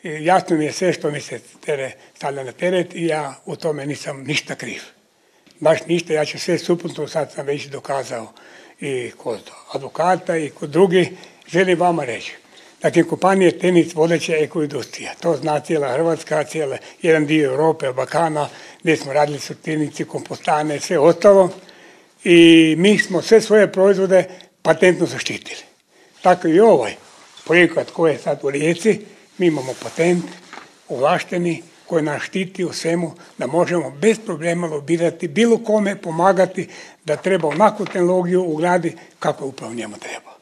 Jasno mi je sve što mi se stavlja na teret i ja u tome nisam ništa kriv. Baš ništa, ja ću sve suprotno, sad sam već dokazao i kod advokata i kod drugih. Želim vama reći, dakle, kompanije Tenis vodeća ekoindustrija, to zna cijela Hrvatska, jedan dio Europe, Balkana, gdje smo radili sortirnici, kompostane, sve ostalo. I mi smo sve svoje proizvode patentno zaštitili. Tako i ovaj projekat koji je sad u Rijeci, mi imamo patent ovlašteni koji nas štiti u svemu da možemo bez problema lobirati, bilo kome pomagati da treba onakvu tehnologiju ugraditi kako upravo njemu treba.